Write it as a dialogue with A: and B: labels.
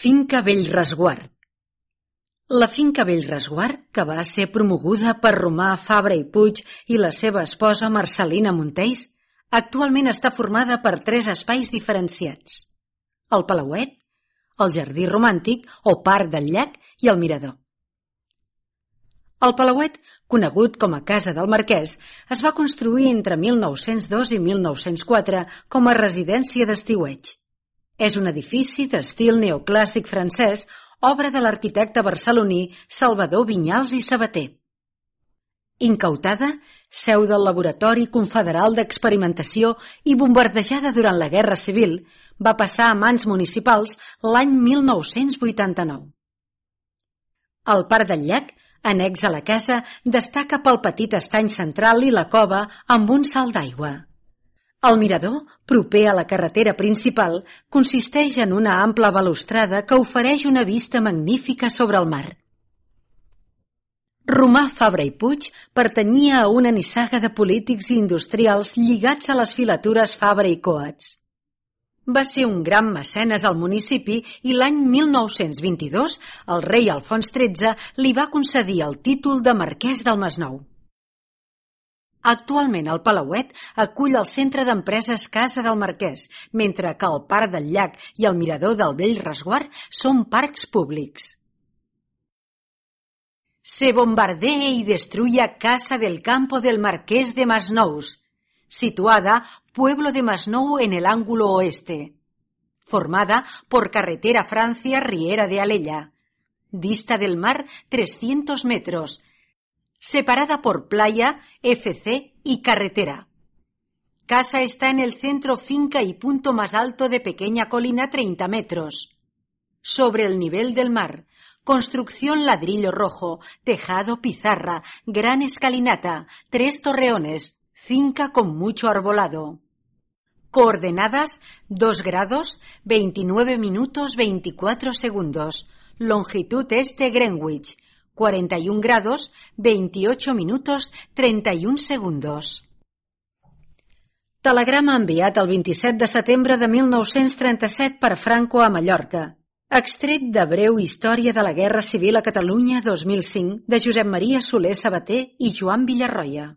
A: Finca Bellresguard. La finca Bellresguard, que va ser promoguda per Romà Fabra i Puig i la seva esposa Marcel·lina Monteys, actualment està formada per 3 espais diferenciats: el Palauet, el Jardí Romàntic o Parc del Llac i el Mirador. El Palauet, conegut com a Casa del Marquès, es va construir entre 1902 i 1904 com a residència d'estiueig. És un edifici d'estil neoclàssic francès, obra de l'arquitecte barceloní Salvador Vinyals i Sabater. Incautada, seu del Laboratori Confederal d'Experimentació i bombardejada durant la Guerra Civil, va passar a mans municipals l'any 1989. El Parc del Llac, annex a la casa, destaca pel petit estany central i la cova amb un salt d'aigua. El mirador, proper a la carretera principal, consisteix en una ampla balustrada que ofereix una vista magnífica sobre el mar. Romà Fabra i Puig pertanyia a una nissaga de polítics i industrials lligats a les filatures Fabra i Coats. Va ser un gran mecenes al municipi i l'any 1922 el rei Alfons XIII li va concedir el títol de marquès del Masnou. Actualment el Palauet acull el Centre d'Empreses Casa del Marquès, mentre que el Parc del Llac i el Mirador del Bellresguard són parcs públics. Se bombardea y destruye Casa del Campo del Marqués de Masnous, situada Pueblo de Masnou en el ángulo oeste, formada por carretera Francia-Riera de Alella, dista del mar 300 metros, separada por playa, FC y carretera. Casa está en el centro finca y punto más alto de pequeña colina 30 metros. Sobre el nivel del mar, construcción ladrillo rojo, tejado pizarra, gran escalinata, 3 torreones, finca con mucho arbolado. Coordenadas 2 grados, 29 minutos 24 segundos. Longitud este Greenwich. 41 grados, 28 minutos, 31 segundos. Telegrama enviat el 27 de setembre de 1937 per Franco a Mallorca. Extret de Breu història de la Guerra Civil a Catalunya 2005 de Josep Maria Soler Sabater i Joan Villarroya.